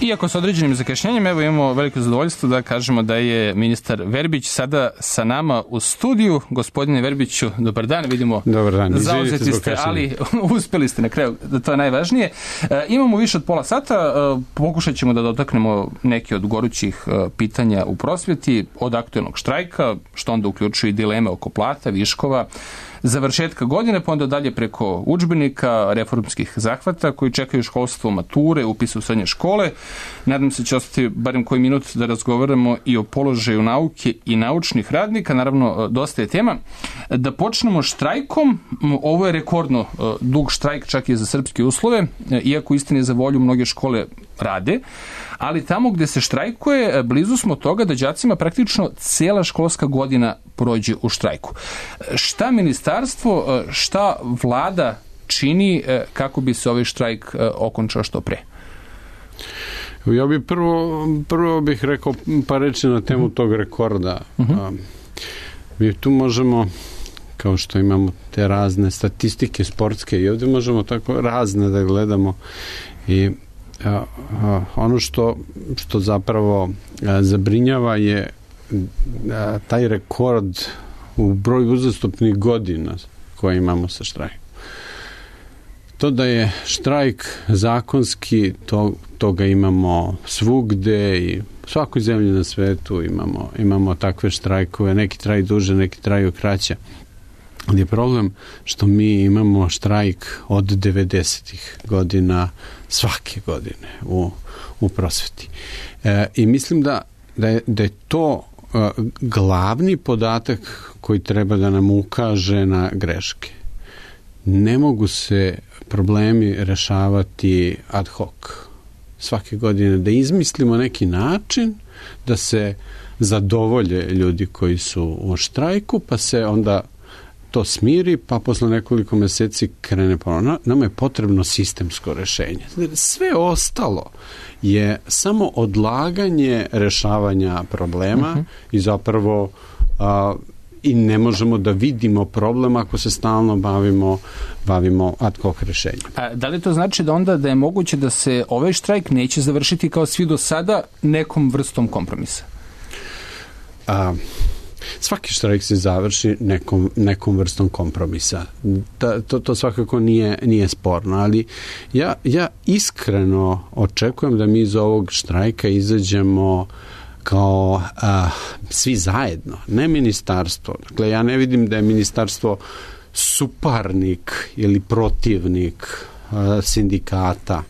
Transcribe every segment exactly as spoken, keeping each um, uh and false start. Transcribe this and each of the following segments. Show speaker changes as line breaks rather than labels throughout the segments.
Iako sa određenim zakašnjenjem, evo imamo veliko zadovoljstvo da kažemo da je ministar Verbić sada sa nama u studiju. Gospodine Verbiću, dobar dan, vidimo.
Dobar dan.
Zauzeti ste, ali uspeli ste na kraju, to je najvažnije. E, imamo više od pola sata, e, pokušat ćemo da dotaknemo neke od gorućih e, pitanja u prosvjeti, od aktuelnog štrajka, što onda uključuje i dileme oko plata, viškova, završetka godine, pa onda dalje preko udžbenika, reformskih zahvata koji čekaju školstvo, mature, upise u srednje škole. Nadam se će ostati barem koji minut da razgovaramo i o položaju nauke i naučnih radnika. Naravno, dosta je tema. Da počnemo štrajkom. Ovo je rekordno dug štrajk, čak i za srpske uslove, iako istini za volju mnoge škole rade, ali tamo gde se štrajkuje, blizu smo toga da đacima praktično cijela školska godina prođe u štrajku. Šta ministarstvo, šta vlada čini kako bi se ovaj štrajk okončao što pre?
Ja bih prvo, prvo bih rekao par reći na temu tog rekorda. Uh-huh. Mi tu možemo, kao što imamo te razne statistike sportske, i ovdje možemo tako razne da gledamo, i a, a, ono što, što zapravo a, zabrinjava je a, taj rekord u broju uzastopnih godina koje imamo sa štrajkom. To da je štrajk zakonski, to, toga imamo svugde i u svakoj zemlji na svetu imamo, imamo takve štrajkove, neki traju duže, neki traju kraće. Ali je problem što mi imamo štrajk od devedesetih godina svake godine u, u prosveti. E, I mislim da, da, je, da je to e, glavni podatak koji treba da nam ukaže na greške. Ne mogu se problemi rešavati ad hoc. Svake godine da izmislimo neki način da se zadovolje ljudi koji su u štrajku, pa se onda to smiri, pa posle nekoliko meseci krene ponovno. Nama je potrebno sistemsko rešenje. Sve ostalo je samo odlaganje rešavanja problema uh-huh. i zapravo a, i ne možemo da vidimo problem ako se stalno bavimo, bavimo ad hoc rešenjem.
A da li to znači da onda da je moguće da se ovaj štrajk neće završiti kao svi do sada nekom vrstom kompromisa?
A, svaki štrajk se završi nekom, nekom vrstom kompromisa. Da, to, to svakako nije, nije sporno, ali ja, ja iskreno očekujem da mi iz ovog štrajka izađemo kao a, svi zajedno, ne ministarstvo. Dakle, ja ne vidim da je ministarstvo suparnik ili protivnik a, sindikata,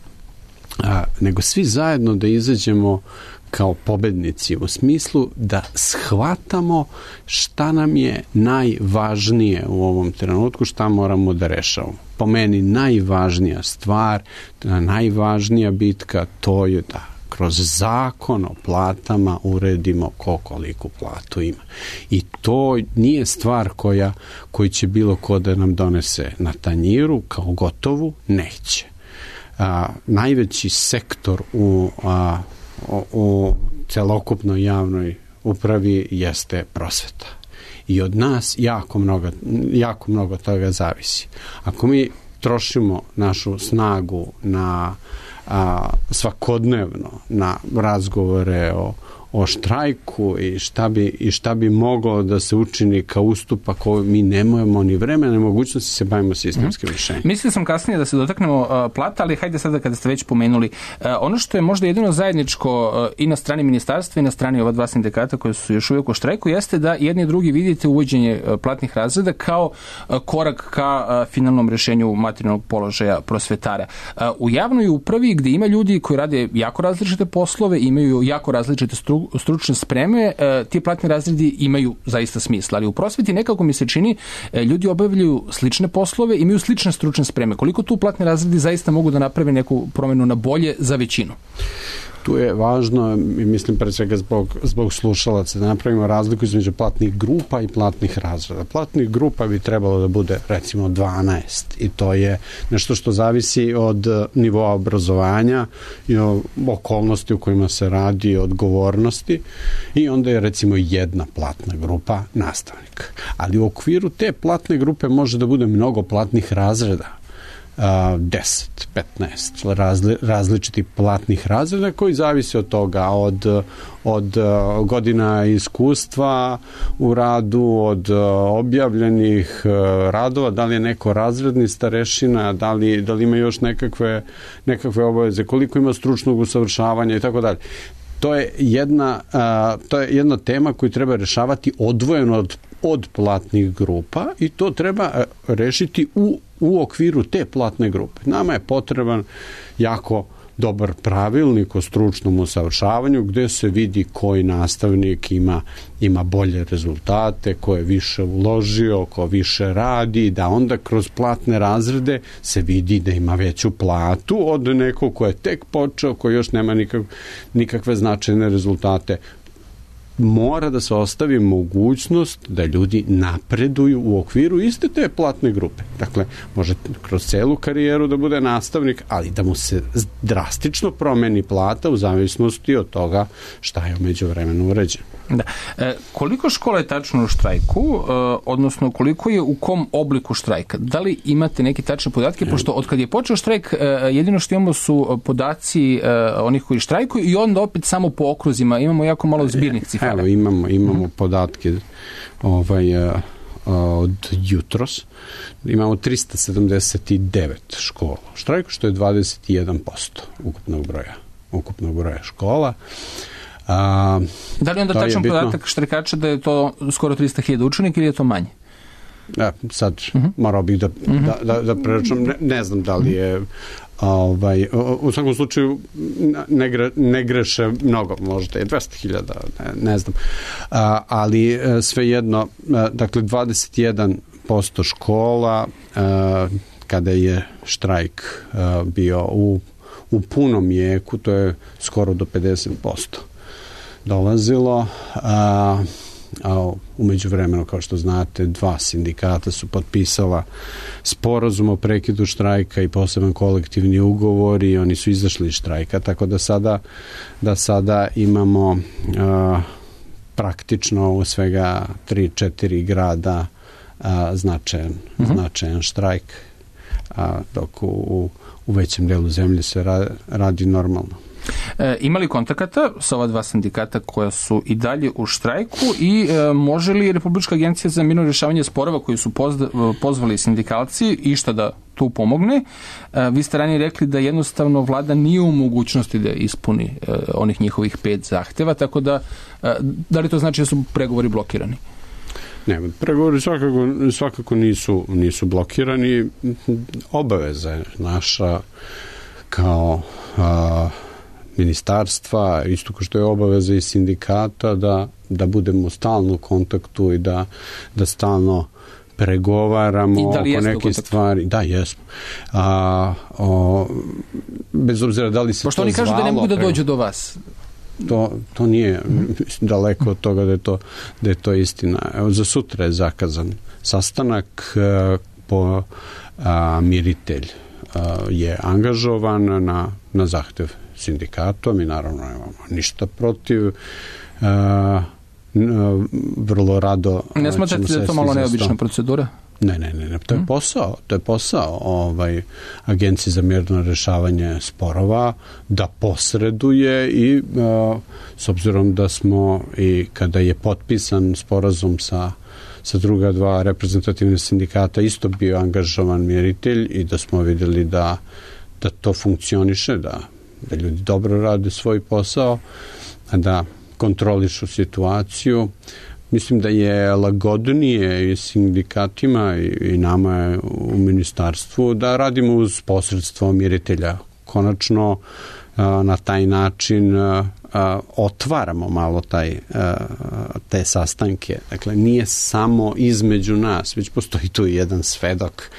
a, nego svi zajedno da izađemo kao pobednici u smislu da shvatamo šta nam je najvažnije u ovom trenutku, šta moramo da rešavamo. Po meni najvažnija stvar, najvažnija bitka, to je da kroz zakon o platama uredimo ko koliku platu ima. I to nije stvar koja, koji će bilo ko da nam donese na tanjiru kao gotovu, neće. A, najveći sektor u, a, u, u celokupnoj javnoj upravi jeste prosveta. I od nas jako mnogo, jako mnogo toga zavisi. Ako mi trošimo našu snagu na a, svakodnevno na razgovore o, o štrajku i šta bi, i šta bi moglo da se učini kao ustupak, mi nemamo ni vremena ni mogućnosti se bavimo sistemskim rješenjem.
Mm. Mislio sam kasnije da se dotaknemo uh, plata, ali hajde sada kada ste već pomenuli. Uh, ono što je možda jedino zajedničko uh, i na strani ministarstva i na strani ova dva sindikata koji su još uvijek u štrajku jeste da jedni i drugi vidite uvođenje uh, platnih razreda kao uh, korak ka uh, finalnom rješenju materijalnog položaja prosvetara. Uh, u javnoj upravi gdje ima ljudi koji rade jako različite poslove, imaju jako različite stru, stručne spreme, uh, ti platni razredi imaju zaista smisla, ali u prosveti nekako mi se čini uh, ljudi obavljaju slične poslove, imaju slične stručne spreme. Koliko tu platni razredi zaista mogu da naprave neku promjenu na bolje za većinu?
Tu je važno, mislim pre svega zbog, zbog slušalaca, da napravimo razliku između platnih grupa i platnih razreda. Platnih grupa bi trebalo da bude recimo dvanaest i to je nešto što zavisi od nivoa obrazovanja i okolnosti u kojima se radi, odgovornosti, i onda je recimo jedna platna grupa nastavnik. Ali u okviru te platne grupe može da bude mnogo platnih razreda. deset, petnaest razli, različitih platnih razreda koji zavise od toga, od, od godina iskustva u radu, od objavljenih radova, da li je neko razredni starešina, da li, da li ima još nekakve, nekakve obaveze, koliko ima stručnog usavršavanja i tako dalje. To je jedna, to je jedna tema koju treba rešavati odvojeno od, od platnih grupa i to treba rešiti u, u okviru te platne grupe. Nama je potreban jako dobar pravilnik o stručnom usavršavanju gde se vidi koji nastavnik ima, ima bolje rezultate, ko je više uložio, ko više radi, da onda kroz platne razrede se vidi da ima veću platu od nekog ko je tek počeo, ko još nema nikak, nikakve značajne rezultate. Mora da se ostavi mogućnost da ljudi napreduju u okviru iste te platne grupe. Dakle, može kroz celu karijeru da bude nastavnik, ali da mu se drastično promeni plata u zavisnosti od toga šta je umeđu vremenu uređeno.
Da. E, koliko škola je tačno u štrajku, e, odnosno koliko je u kom obliku štrajka? Da li imate neke tačne podatke? Pošto od kad je počeo štrajk, e, jedino što imamo su podaci e, onih koji štrajkuju i onda opet samo po okruzima. Imamo jako malo zbirnih cifara.
Evo, imamo, imamo mm. podatke ovaj, od jutros. Imamo tristo sedamdeset devet škola u štrajku, što je dvadeset jedan posto ukupnog broja, ukupnog broja škola. A,
da li onda tačan podatak štrajkača da je to skoro tristo hiljada učenika ili je to manje?
Ja, sad uh-huh. morao bih da, uh-huh. da, da, da preračunam, ne, ne znam da li je ovaj, u svakom slučaju ne, gre, ne greše mnogo, možda je dvesta hiljada, ne, ne znam, a, ali svejedno, dakle dvadeset jedan posto škola a, kada je štrajk a, bio u, u punom jeku, to je skoro do pedeset posto dolazilo, a, a umeđu vremenu, kao što znate, dva sindikata su potpisala sporazum o prekidu štrajka i poseban kolektivni ugovor i oni su izašli iz štrajka, tako da sada, da sada imamo a, praktično u svega tri četiri grada a, značajan, uh-huh. značajan štrajk, a, dok u, u većem delu zemlje se ra, radi normalno.
E, ima li kontakata sa ova dva sindikata koja su i dalje u štrajku i e, može li Republička agencija za mirno rješavanje sporova koji su pozda, pozvali sindikalci išta da tu pomogne? E, vi ste ranije rekli da jednostavno vlada nije u mogućnosti da ispuni e, onih njihovih pet zahteva, tako da e, da li to znači da su pregovori blokirani?
Ne, pregovori svakako, svakako nisu, nisu blokirani. Obaveza je naša kao a, ministarstva, isto kao što je obaveza i sindikata da, da budemo stalno u kontaktu i da, da stalno pregovaramo oko neke stvari. Da, jesmo. A, o, bez obzira da li se
Pošto
to zvalo...
Pošto oni kažu da ne mogu da dođu do vas.
To, to nije daleko od toga da je to, da je to istina. Evo, za sutra je zakazan sastanak, po a, miritelj a, je angažovan na, na zahtev sindikata. Mi naravno nemamo ništa protiv. A, vrlo rado...
Ne smatrate da je to malo neobična procedura?
Ne, ne, ne, ne, to je posao, to je posao ovaj, Agencije za mirno rešavanje sporova da posreduje i a, s obzirom da smo i kada je potpisan sporazum sa, sa druga dva reprezentativne sindikata isto bio angažovan miritelj i da smo vidjeli da, da to funkcioniše, da, da ljudi dobro rade svoj posao, da kontrolišu situaciju. Mislim da je lagodnije i sindikatima i nama u ministarstvu da radimo uz posredstvo miritelja. Konačno na taj način otvaramo malo taj, te sastanke. Dakle, nije samo između nas, već postoji tu jedan svedok,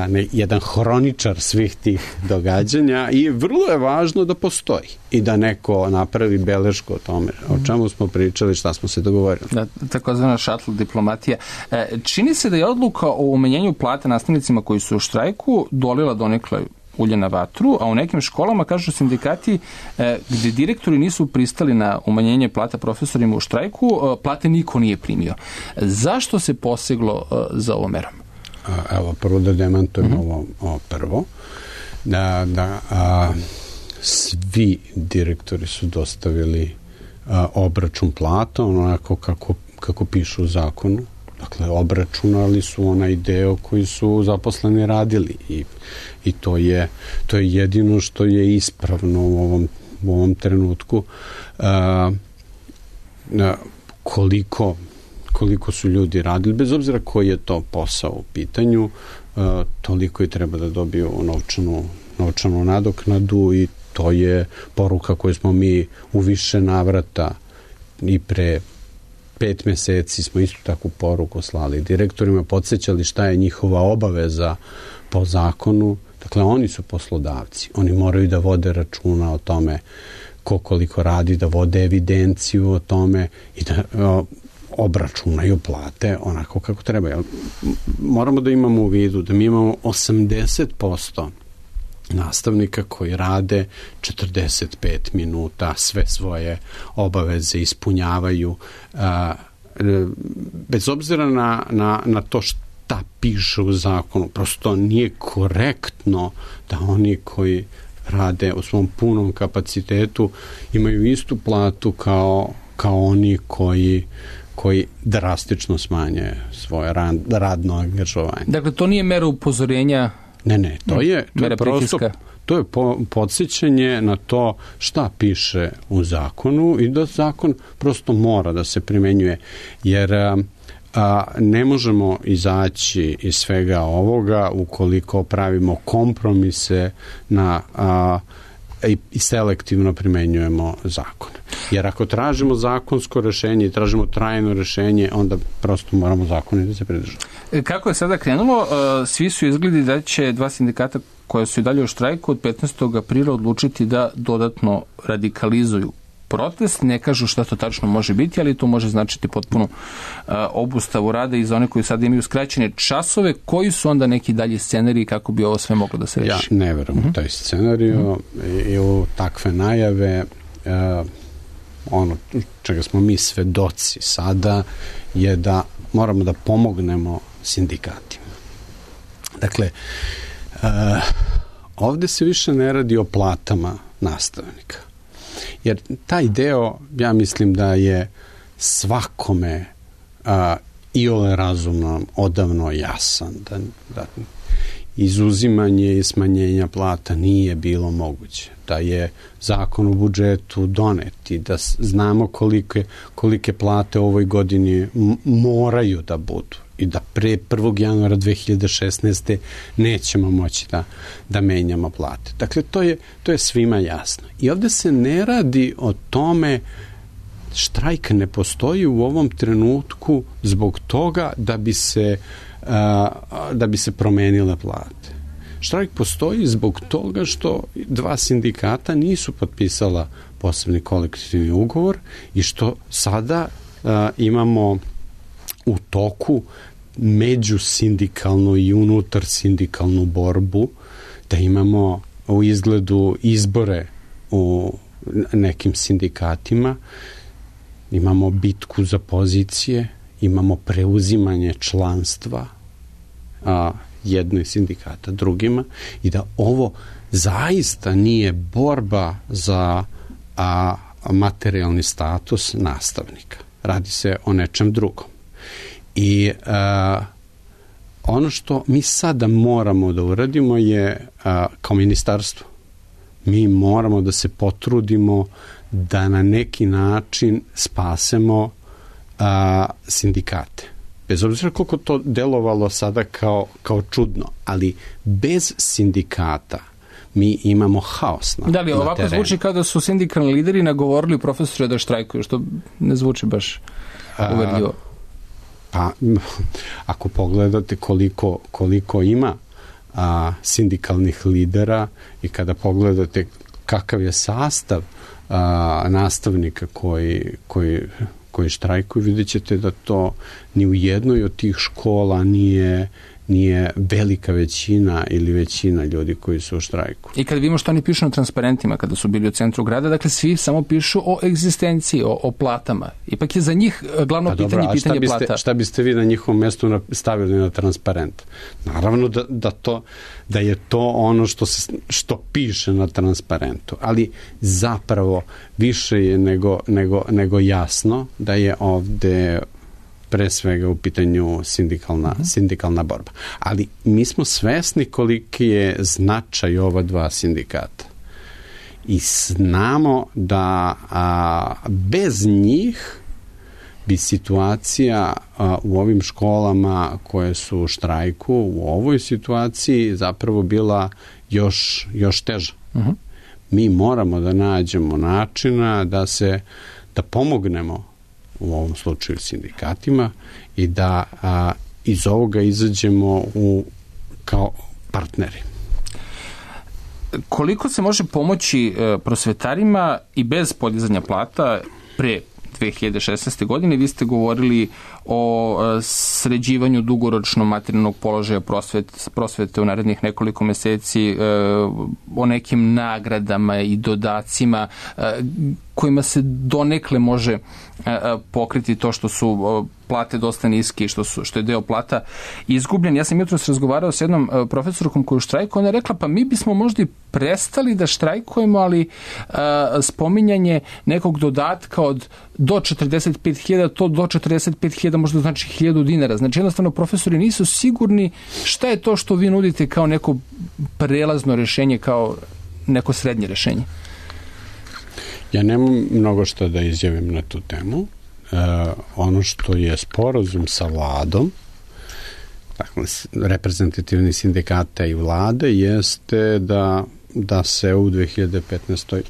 ne, jedan hroničar svih tih događanja i vrlo je važno da postoji i da neko napravi belešku o tome, o čemu smo pričali, šta smo se dogovorili.
Da, takozvana šatl diplomatija. Čini se da je odluka o umanjenju plata nastavnicima koji su u štrajku dolila donekle ulje na vatru, a u nekim školama, kažu sindikati, gde direktori nisu pristali na umanjenje plata profesorima u štrajku, plate niko nije primio. Zašto se poseglo za ovom merom?
Evo, prvo da demantujem uh-huh. ovo, ovo prvo. Da, da a, svi direktori su dostavili a, obračun plata, onako kako, kako piše u zakonu. Dakle, obračunali su onaj deo koji su zaposleni radili i, i to je to je jedino što je ispravno u ovom, u ovom trenutku. A, a, koliko koliko su ljudi radili, bez obzira koji je to posao u pitanju, uh, toliko i treba da dobiju novčanu, novčanu nadoknadu i to je poruka koju smo mi u više navrata i pre pet meseci smo istu takvu poruku slali direktorima, podsjećali šta je njihova obaveza po zakonu. Dakle, oni su poslodavci. Oni moraju da vode računa o tome ko koliko radi, da vode evidenciju o tome i da uh, obračunaju plate onako kako treba. Moramo da imamo u vidu da mi imamo osamdeset posto nastavnika koji rade četrdeset pet minuta, sve svoje obaveze ispunjavaju, bez obzira na, na, na to šta piše u zakonu. Prosto nije korektno da oni koji rade u svom punom kapacitetu imaju istu platu kao, kao oni koji koji drastično smanje svoje radno angažovanje.
Dakle, to nije mera upozorenja?
Ne, ne, to je, to je prosto,
pritiska.
To je po, podsjećanje na to šta piše u zakonu i da zakon prosto mora da se primenjuje, jer a, a, ne možemo izaći iz svega ovoga ukoliko pravimo kompromise na a, i, i selektivno primenjujemo zakon. Jer ako tražimo zakonsko rešenje i tražimo trajno rešenje, onda prosto moramo zakone da se pridržavamo.
Kako je sada krenulo, svi su izgledi da će dva sindikata koja su i dalje u štrajku od petnaestog aprila odlučiti da dodatno radikalizuju protest. Ne kažu šta to tačno može biti, ali to može značiti potpuno obustavu rada i za one koji sada imaju skraćene časove. Koji su onda neki dalji scenariji kako bi ovo sve moglo da se reši?
Ja ne verujem uh-huh. u taj scenariju uh-huh. i u takve najave. Uh, ono čega smo mi svedoci sada je da moramo da pomognemo sindikatima. Dakle, uh, ovde se više ne radi o platama nastavnika. Jer taj deo, ja mislim da je svakome uh, iole razumno odavno jasan, da, da izuzimanje i smanjenja plata nije bilo moguće, da je zakon u budžetu donet i da znamo kolike, kolike plate u ovoj godini moraju da budu i da pre prvog januara dve hiljade šesnaeste. nećemo moći da, da menjamo plate. Dakle, to je, to je svima jasno. I ovde se ne radi o tome, štrajk ne postoji u ovom trenutku zbog toga da bi se da bi se promenile plate. Štrajk postoji zbog toga što dva sindikata nisu potpisala posebni kolektivni ugovor i što sada a, imamo u toku međusindikalnu i unutar sindikalnu borbu, da imamo u izgledu izbore u nekim sindikatima, imamo bitku za pozicije, imamo preuzimanje članstva a, jednoj sindikata drugima i da ovo zaista nije borba za a, materijalni status nastavnika. Radi se o nečem drugom. I a, ono što mi sada moramo da uradimo je a, kao ministarstvo. Mi moramo da se potrudimo da na neki način spasemo a, sindikate. Bez obzira koliko to delovalo sada kao, kao čudno, ali bez sindikata mi imamo haos na,
da li,
na
ovako
terenu.
Zvuči kao da su sindikalni lideri nagovorili profesore da štrajkuju, što ne zvuči baš uverljivo.
Pa, ako pogledate koliko, koliko ima a, sindikalnih lidera i kada pogledate kakav je sastav a, nastavnika koji, koji, koji štrajkuju, vidjet ćete da to ni u jednoj od tih škola nije, nije velika većina ili većina ljudi koji su u štrajku.
I kad vidimo što oni pišu na transparentima kada su bili u centru grada, dakle svi samo pišu o egzistenciji, o, o platama. Ipak je za njih glavno pa pitanje dobro, pitanje
šta biste,
plata.
Šta biste vi na njihovom mjestu stavili na transparent? Naravno da, da, to, da je to ono što, se, što piše na transparentu, ali zapravo više je nego, nego, nego jasno da je ovde pre svega u pitanju sindikalna, mm-hmm. sindikalna borba. Ali mi smo svesni koliki je značaj ova dva sindikata. I znamo da a, bez njih bi situacija a, u ovim školama koje su u štrajku u ovoj situaciji zapravo bila još, još teža. Mm-hmm. Mi moramo da nađemo načina da se da pomognemo u ovom slučaju sindikatima i da a, iz ovoga izađemo u, kao partneri.
Koliko se može pomoći e, prosvetarima i bez podizanja plata pre dve hiljade šesnaeste. godine? Vi ste govorili o e, sređivanju dugoročno materijalnog položaja prosvet, prosvete u narednih nekoliko meseci, e, o nekim nagradama i dodacima e, kojima se donekle može e, pokriti to što su e, plate dosta niske i što, su, što je deo plata izgubljen. Ja sam jutros razgovarao s jednom e, profesorkom koju štrajku, ona je rekla pa mi bismo možda i prestali da štrajkujemo, ali e, spominjanje nekog dodatka od do četrdeset pet hiljada, to do četrdeset pet hiljada možda znači hiljadu dinara. Znači jednostavno profesori nisu sigurni šta je to što vi nudite kao neko prelazno rešenje, kao neko srednje rešenje.
Ja nemam mnogo što da izjavim na tu temu. E, ono što je sporazum sa vladom, dakle, reprezentativni sindikata i vlade, jeste da, da se u dve hiljade petnaestoj.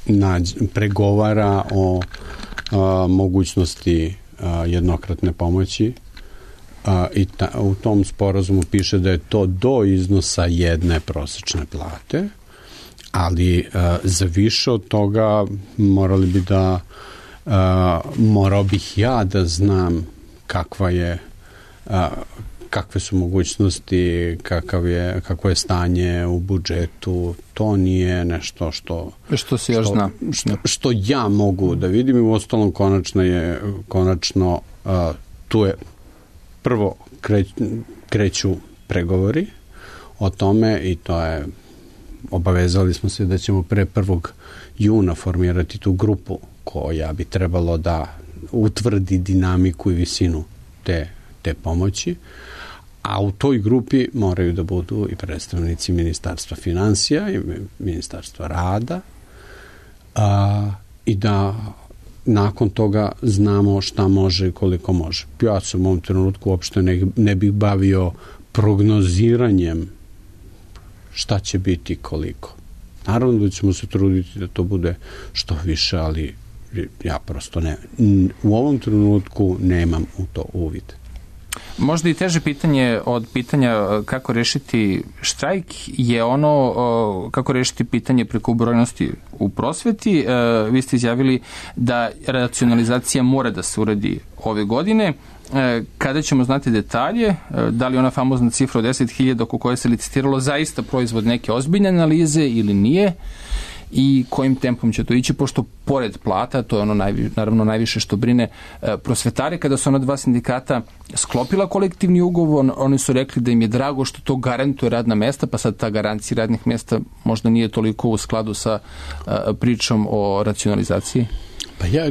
Nađ, pregovara o a, mogućnosti a, jednokratne pomoći a, i ta, u tom sporazumu piše da je to do iznosa jedne prosečne plate, ali a, za više od toga morali bi da a, morao bih ja da znam kakva je a, kakve su mogućnosti, kakav je, kako je stanje u budžetu, to nije nešto što
što se još zna.
Što, što ja mogu da vidim i u ostalom konačno je konačno uh, tu je prvo kreć, kreću pregovori o tome i to je obavezali smo se da ćemo pre prvog juna formirati tu grupu koja bi trebalo da utvrdi dinamiku i visinu te, te pomoći. A u toj grupi moraju da budu i predstavnici Ministarstva finansija i Ministarstva rada a, i da nakon toga znamo šta može i koliko može. Ja sam u ovom trenutku uopšte ne, ne bih bavio prognoziranjem šta će biti koliko. Naravno da ćemo se truditi da to bude što više, ali ja prosto ne. U ovom trenutku nemam u to uvid.
Možda i teže pitanje od pitanja kako rešiti štrajk je ono kako rešiti pitanje prekobrojnosti u prosveti. Vi ste izjavili da racionalizacija mora da se uradi ove godine. Kada ćemo znati detalje, da li ona famozna cifra od deset hiljada oko koje se licitiralo zaista proizvod neke ozbiljne analize ili nije, i kojim tempom će to ići, pošto pored plata, to je ono najvi, naravno najviše što brine e, prosvetare, kada su ona dva sindikata sklopila kolektivni ugovor, oni su rekli da im je drago što to garantuje radna mesta, pa sad ta garancija radnih mesta možda nije toliko u skladu sa e, pričom o racionalizaciji.
Pa ja,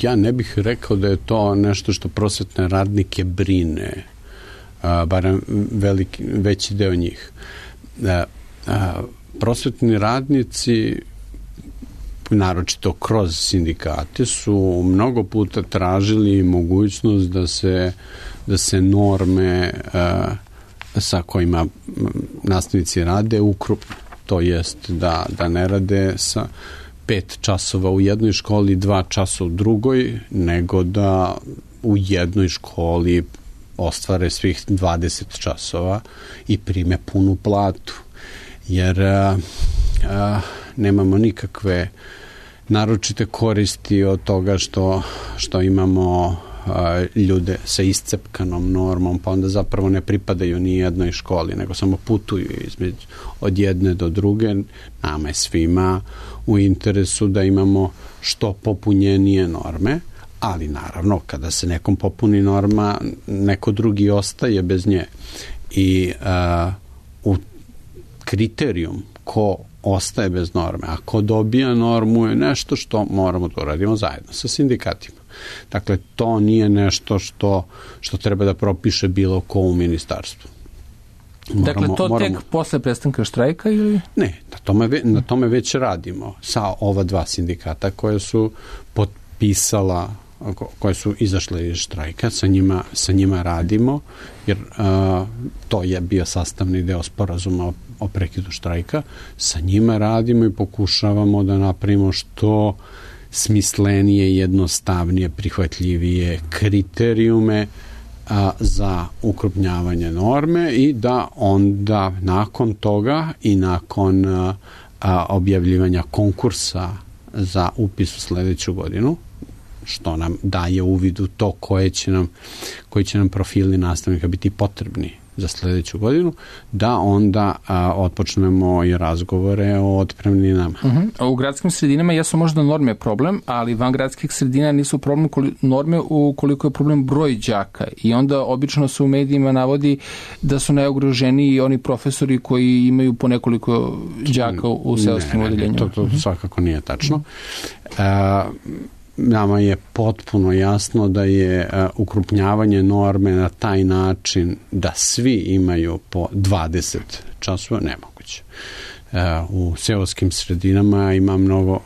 ja ne bih rekao da je to nešto što prosvetne radnike brine, a, barem veliki, veći deo njih. A, a, prosvetni radnici, naročito kroz sindikate, su mnogo puta tražili mogućnost da se, da se norme a, sa kojima nastavnici rade ukrupne. To jest da, da ne rade sa pet časova u jednoj školi, dva časa u drugoj, nego da u jednoj školi ostvare svih dvadeset časova i prime punu platu. Jer a, a, nemamo nikakve naročite koristi od toga što, što imamo a, ljude sa iscepkanom normom, pa onda zapravo ne pripadaju ni jednoj školi, nego samo putuju između od jedne do druge. Nama je svima u interesu da imamo što popunjenije norme, ali naravno kada se nekom popuni norma, neko drugi ostaje bez nje. I a, u kriterijum ko ostaje bez norme, a ko dobija normu je nešto što moramo da uradimo zajedno sa sindikatima. Dakle, to nije nešto što, što treba da propiše bilo ko u ministarstvu.
Moramo, dakle, to moramo... tek posle prestanka štrajka ili?
Ne, na tome, na tome već radimo sa ova dva sindikata koje su potpisala, koje su izašle iz štrajka, sa njima, sa njima radimo, jer a, to je bio sastavni deo sporazuma o, o prekidu štrajka. Sa njima radimo i pokušavamo da napravimo što smislenije, jednostavnije, prihvatljivije kriterijume a, za ukrupnjavanje norme i da onda nakon toga i nakon a, a, objavljivanja konkursa za upis u sledeću godinu, što nam daje uvid u to koje će nam, koji će nam profili nastavnika biti potrebni za sledeću godinu, da onda a, otpočnemo i razgovore o otpremninama.
Uh-huh. U gradskim sredinama jesu možda norme problem, ali van gradskih sredina nisu problem norme ukoliko je problem broj đaka i onda obično se u medijima navodi da su najugroženiji oni profesori koji imaju po nekoliko đaka u seoskim odeljenjima.
To, to svakako nije tačno. Uh, Nama je potpuno jasno da je uh, ukrupnjavanje norme na taj način da svi imaju po dvadeset časova nemoguće. Uh, u seoskim sredinama ima mnogo,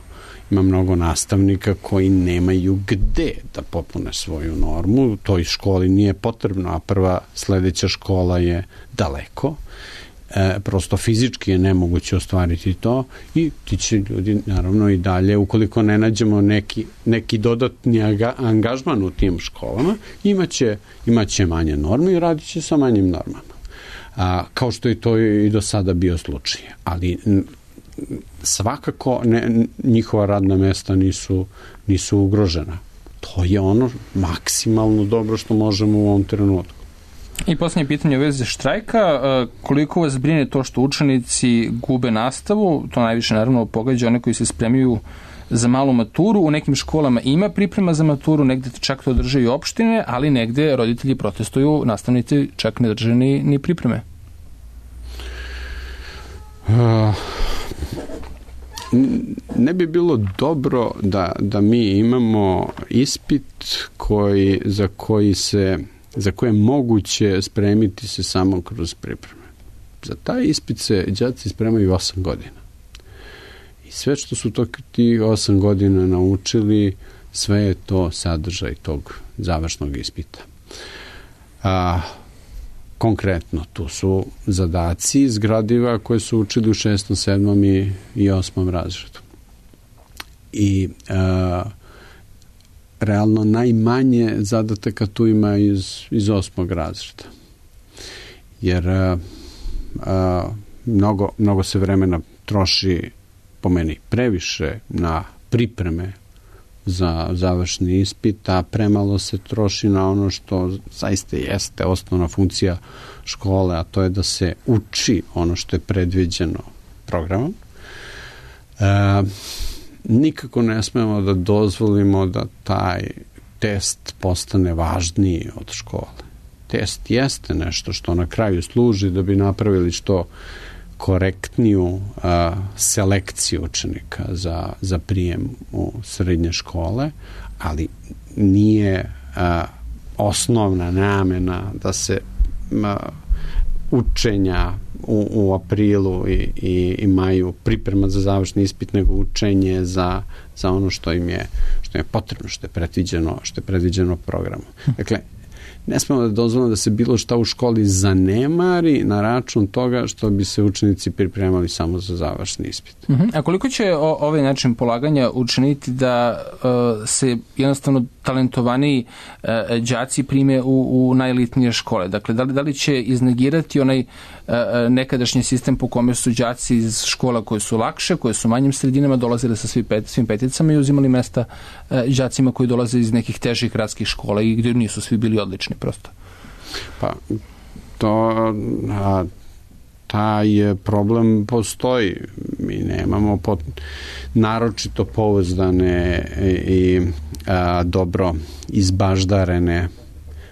ima mnogo nastavnika koji nemaju gde da popune svoju normu. Toj školi nije potrebno, a prva sledeća škola je daleko. E, prosto fizički je nemoguće ostvariti to i ti će ljudi naravno i dalje, ukoliko ne nađemo neki, neki dodatni angažman u tim školama, imaće, imaće manje norme i radit će sa manjim normama. A, kao što je to i do sada bio slučaj. Ali n, svakako ne, njihova radna mesta nisu, nisu ugrožena. To je ono maksimalno dobro što možemo u ovom trenutku.
I posljednje pitanje u vezi štrajka, koliko vas brine to što učenici gube nastavu, to najviše naravno pogađa one koji se spremaju za malu maturu, u nekim školama ima priprema za maturu, negde čak to drže i opštine, ali negde roditelji protestuju, nastavnici čak ne drže ni, ni pripreme.
Uh, ne bi bilo dobro da, da mi imamo ispit koji, za koji se za koje je moguće spremiti se samo kroz pripreme. Za taj ispit se đaci spremaju osam godina. I sve što su to tih osam godina naučili, sve je to sadržaj tog završnog ispita. A, konkretno, tu su zadaci iz gradiva koje su učili u šestom, sedmom i, i osmom razredu. I a, realno najmanje zadataka tu ima iz, iz osmog razreda. Jer a, a, mnogo, mnogo se vremena troši po meni previše na pripreme za završni ispit, a premalo se troši na ono što zaista jeste osnovna funkcija škole, a to je da se uči ono što je predviđeno programom. E, nikako ne smemo da dozvolimo da taj test postane važniji od škole. Test jeste nešto što na kraju služi da bi napravili što korektniju a, selekciju učenika za, za prijem u srednje škole, ali nije a, osnovna namena da se a, učenja u, u aprilu i, i, i maju priprema za završni ispit, nego učenje za, za ono što im je, što im je potrebno, što je predviđeno, što je predviđeno programom. Dakle, ne smemo da dozvolimo da se bilo šta u školi zanemari na račun toga što bi se učenici pripremali samo za završni ispit.
Uh-huh. A koliko će o, ovaj način polaganja učiniti da uh, se jednostavno najtalentovaniji e, đaci prime u, u najelitnije škole. Dakle, da li, da li će iznegirati onaj e, nekadašnji sistem po kome su đaci iz škola koje su lakše, koje su manjim sredinama dolazile sa svim, pet, svim peticama i uzimali mesta e, đacima koji dolaze iz nekih težih gradskih škola i gdje nisu svi bili odlični prosto?
Pa, to... A... taj problem postoji. Mi nemamo pot, naročito pouzdane i a, dobro izbaždarene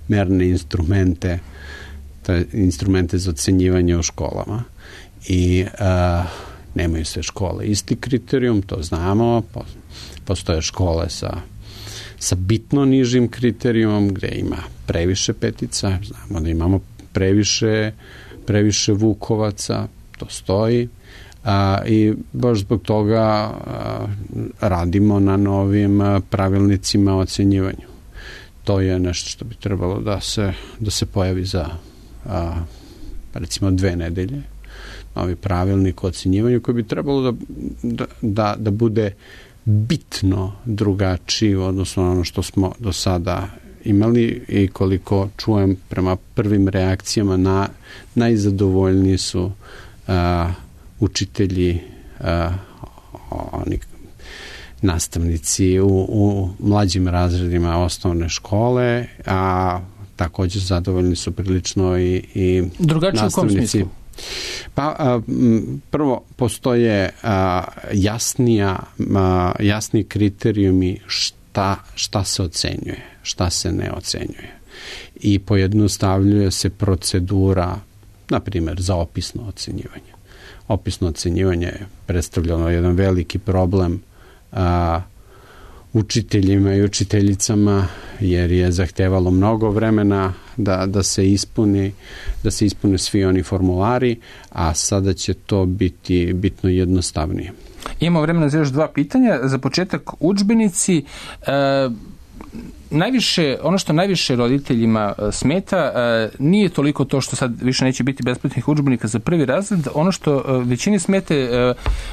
merne instrumente, te instrumente za ocenjivanje u školama. I a, nemaju sve škole isti kriterijum, to znamo. Postoje škole sa, sa bitno nižim kriterijumom gde ima previše petica, znamo da imamo previše previše Vukovaca, to stoji, a, i baš zbog toga a, radimo na novim a, pravilnicima o ocenjivanju. To je nešto što bi trebalo da se, da se pojavi za a, recimo dve nedelje, novi pravilnik o ocenjivanju koji bi trebalo da, da, da, da bude bitno drugačiji u odnosu na ono što smo do sada imali i koliko čujem prema prvim reakcijama na, najzadovoljniji su a, učitelji, a, oni nastavnici u, u mlađim razredima osnovne škole, a također zadovoljni su prilično i, i
drugačije u kom smislu?
Pa a, prvo postoje a, jasnija, a, jasni kriterijumi šta, šta se ocenjuje, šta se ne ocenjuje. I pojednostavljuje se procedura, na primjer, za opisno ocenjivanje. Opisno ocenjivanje je predstavljeno jedan veliki problem a, učiteljima i učiteljicama, jer je zahtevalo mnogo vremena da, da se ispuni, da se ispune svi oni formulari, a sada će to biti bitno jednostavnije.
Imamo vremena za još dva pitanja. Za početak, udžbenici. E, najviše, ono što najviše roditeljima smeta nije toliko to što sad više neće biti besplatnih udžbenika za prvi razred, ono što većini smete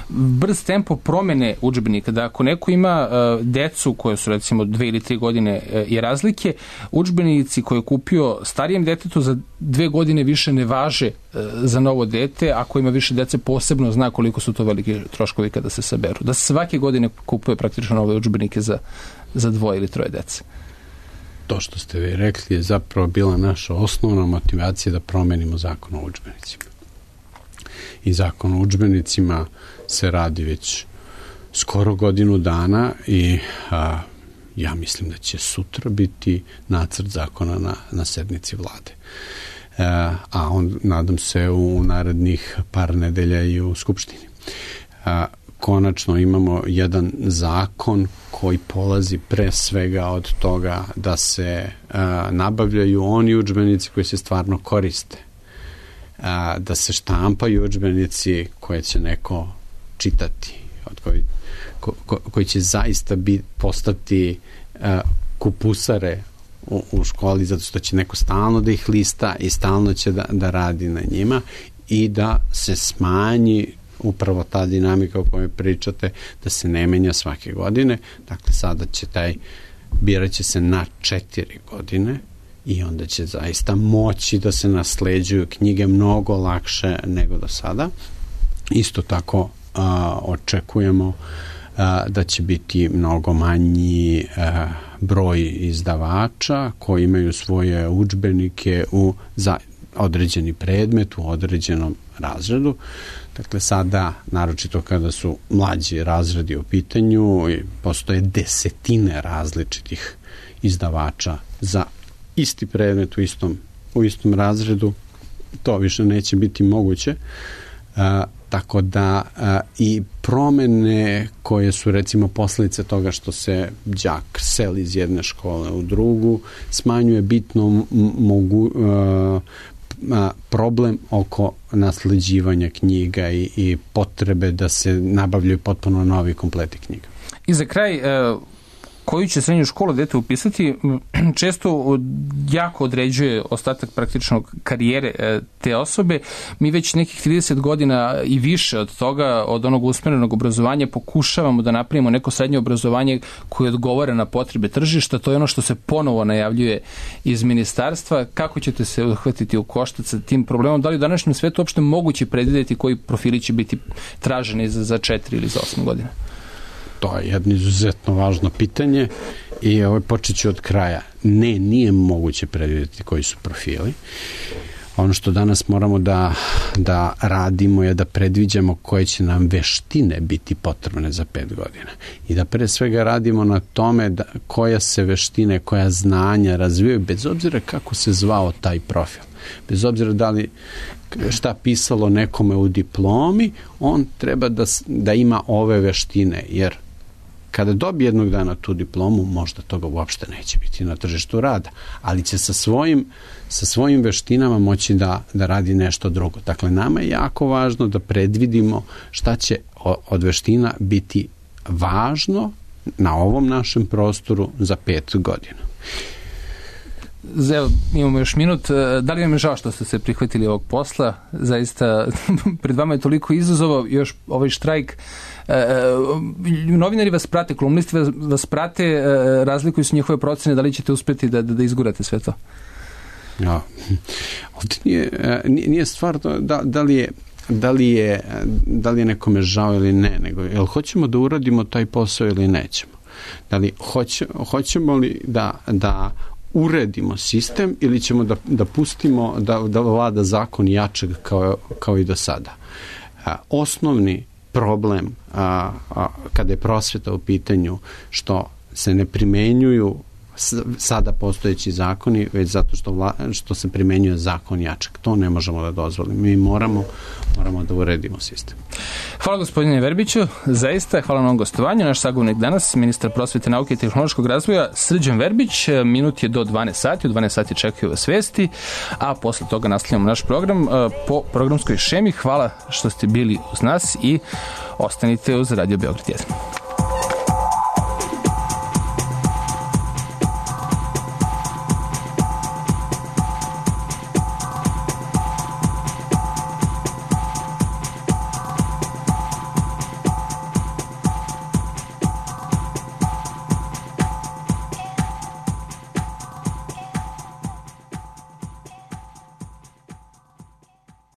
brz tempo promene udžbenika, da ako neko ima decu koje su recimo dve ili tri godine i razlike, udžbenici koje je kupio starijem detetu za dve godine više ne važe za novo dete, ako ima više dece posebno zna koliko su to veliki troškovi kada se saberu. Da svake godine kupuje praktično nove udžbenike za, za dvoje ili troje dece.
To što ste vi rekli je zapravo bila naša osnovna motivacija da promenimo zakon o udžbenicima. I zakon o udžbenicima se radi već skoro godinu dana i a, ja mislim da će sutra biti nacrt zakona na, na sednici vlade. A, a on, nadam se, u narednih par nedelja i u Skupštini. A, konačno imamo jedan zakon koji polazi pre svega od toga da se a, nabavljaju oni udžbenici koji se stvarno koriste. A, da se štampaju udžbenici koje će neko čitati, od koji, ko, ko, koji će zaista biti, postati a, kupusare u, u školi, zato što će neko stalno da ih lista i stalno će da, da radi na njima i da se smanji upravo ta dinamika o kojoj pričate, da se ne menja svake godine. Dakle, sada će taj, biraće se na četiri godine i onda će zaista moći da se nasleđuju knjige mnogo lakše nego do sada. Isto tako a, očekujemo a, da će biti mnogo manji a, broj izdavača koji imaju svoje udžbenike u za određeni predmet u određenom razredu. Dakle, sada, naročito kada su mlađi razredi u pitanju, postoje desetine različitih izdavača za isti predmet u istom, u istom razredu. To više neće biti moguće. A, tako da a, i promene koje su recimo posljedice toga što se đak seli iz jedne škole u drugu, smanjuje bitno mogu, a, problem oko nasleđivanja knjiga i, i potrebe da se nabavljaju potpuno novi kompleti knjiga.
I za kraj, koju će srednju školu dete upisati često jako određuje ostatak praktičnog karijere te osobe. Mi već nekih trideset godina i više od toga, od onog usmerenog obrazovanja, pokušavamo da napravimo neko srednje obrazovanje koje odgovara na potrebe tržišta. To je ono što se ponovo najavljuje iz ministarstva. Kako ćete se uhvatiti u koštac sa tim problemom? Da li u današnjem svetu uopšte moguće predvidjeti koji profili će biti traženi za, za četiri ili za osam godina?
To je jedno izuzetno važno pitanje i ovaj, počet ću od kraja. Ne, nije moguće predvidjeti koji su profili. Ono što danas moramo da, da radimo je da predviđamo koje će nam veštine biti potrebne za pet godina. I da pre svega radimo na tome da koja se veštine, koja znanja razvijaju, bez obzira kako se zvao taj profil. Bez obzira da li šta pisalo nekome u diplomi, on treba da, da ima ove veštine, jer kada dobije jednog dana tu diplomu, možda toga uopšte neće biti na tržištu rada, ali će sa svojim, sa svojim veštinama moći da, da radi nešto drugo. Dakle, nama je jako važno da predvidimo šta će od veština biti važno na ovom našem prostoru za pet godina.
Evo, imamo još minut. Da li vam je žao što ste se prihvatili ovog posla? Zaista, pred vama je toliko izazova, još ovaj štrajk. Novinari vas prate, kolumnisti vas, vas prate, razlikuju su njihove procene, da li ćete uspjeti da, da, da izgurate sve to?
Ja, ovdje nije, nije stvar da, da li je da li je da li je nekome žao ili ne, nego jel hoćemo da uradimo taj posao ili nećemo? Da li hoće, hoćemo li da, da uredimo sistem ili ćemo da, da pustimo da, da vlada zakon jačeg kao, kao i do sada? A, osnovni problem a, a, kada je prosveta u pitanju što se ne primenjuju sada postojeći zakoni, već zato što, vla, što se primenjuje zakon jačeg. To ne možemo da dozvolimo. Mi moramo, moramo da uredimo sistem.
Hvala gospodine Verbiću, zaista hvala na ovom gostovanju. Naš sagovornik danas, ministar prosvete, nauke i tehnološkog razvoja Srđan Verbić. Minut je do dvanaest sati, u dvanaest sati čekaju vas vesti, a posle toga nastavljamo naš program po programskoj šemi. Hvala što ste bili uz nas i ostanite uz Radio Beograd jedan.